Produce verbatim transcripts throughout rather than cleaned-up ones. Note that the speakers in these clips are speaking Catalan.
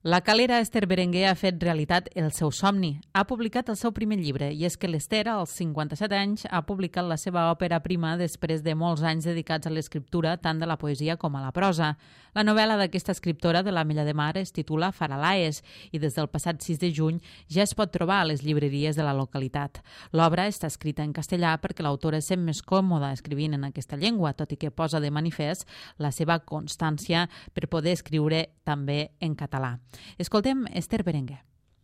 La calera Esther Berenguer ha fet realitat el seu somni. Ha publicat el seu primer llibre, i és que l'Esther, als cinquanta-set anys, ha publicat la seva òpera prima després de molts anys dedicats a l'escriptura, tant de la poesia com a la prosa. La novel·la d'aquesta escriptora de l'Ametlla de Mar es titula Faralaes i des del passat sis de juny ja es pot trobar a les llibreries de la localitat. L'obra està escrita en castellà perquè l'autora es sent més còmoda escrivint en aquesta llengua, tot i que posa de manifest la seva constància per poder escriure també en català. Escoltem Esther Berenguer.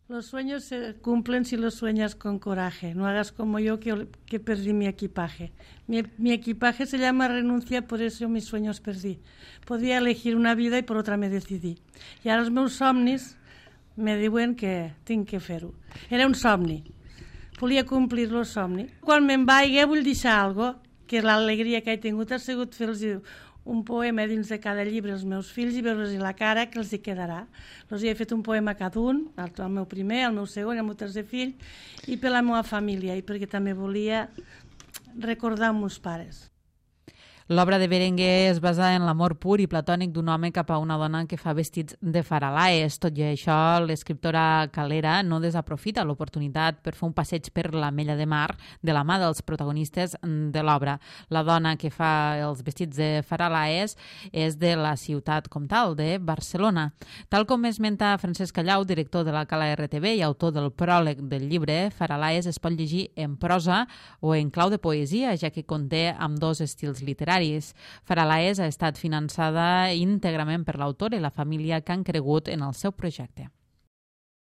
Los sueños se cumplen si los sueñas con coraje. No hagas como yo que, que perdí mi equipaje. Mi, mi equipaje se llama renuncia, por eso mis sueños perdí. Podía elegir una vida y por otra me decidí. I ara els meus somnis me diuen que tinc que fer-ho. Era un somni. Volia complir el somni. Quan me'n vaig vull deixar alguna cosa, que l'alegria que he tingut ha sigut fer-los un poema dins de cada llibre als meus fills i veure-los la cara que els hi quedarà. Els hi he fet un poema a cada un, el meu primer, el meu segon, el meu tercer fill, i per la meva família, i perquè també volia recordar els meus pares. L'obra de Berenguer es basa en l'amor pur i platònic d'un home cap a una dona que fa vestits de faralaes. Tot i això, l'escriptora calera no desaprofita l'oportunitat per fer un passeig per l'Ametlla de Mar de la mà dels protagonistes de l'obra. La dona que fa els vestits de faralaes és de la ciutat comtal, de Barcelona. Tal com esmenta Francesc Callau, director de la Cala R T V i autor del pròleg del llibre, Faralaes es pot llegir en prosa o en clau de poesia, ja que conté ambdós estils literaris. Faralaes ha estat finançada íntegrament per l'autor i la família que han cregut en el seu projecte.